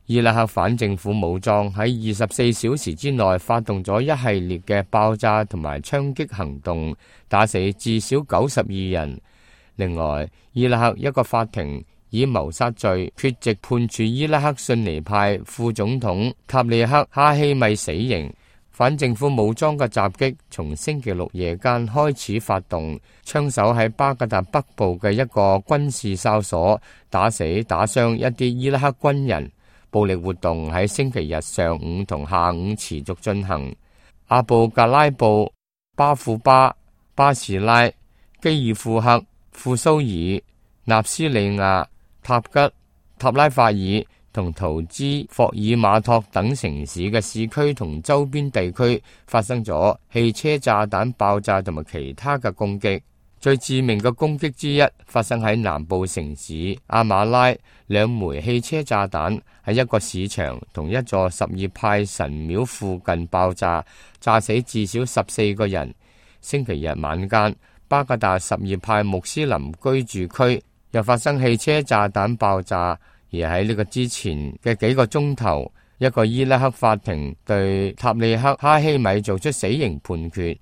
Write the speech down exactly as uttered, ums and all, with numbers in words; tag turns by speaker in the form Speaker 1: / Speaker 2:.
Speaker 1: 伊拉克反政府武裝喺二十四小時之內發動咗一系列嘅爆炸同埋槍擊行動，打死至少九十二人。另外，伊拉克一個法庭以謀殺罪缺席判處伊拉克遜尼派副總統塔利克哈希米死刑。反政府武裝嘅襲擊從星期六夜間開始發動，槍手喺巴格達北部嘅一個軍事哨所打死打傷一啲伊拉克軍人。暴力活動喺星期日上午同下午持續進行。阿布格拉布、巴庫巴、巴士拉、基爾庫克、庫蘇爾、納斯利亞、塔吉、塔拉法爾同圖茲霍爾馬托等城市嘅市區同周邊地區發生咗汽車炸彈爆炸同埋其他嘅攻擊。最致命嘅攻擊之一發生喺南部城市阿馬拉，兩枚汽車炸彈喺一個市場同一座什葉派神廟附近爆炸，炸死至少十四個人。星期日晚間，巴格達什葉派穆斯林居住區又發生汽車炸彈爆炸，而喺呢個之前嘅幾個鐘頭，一個伊拉克法庭對塔利克哈希米做出死刑判決。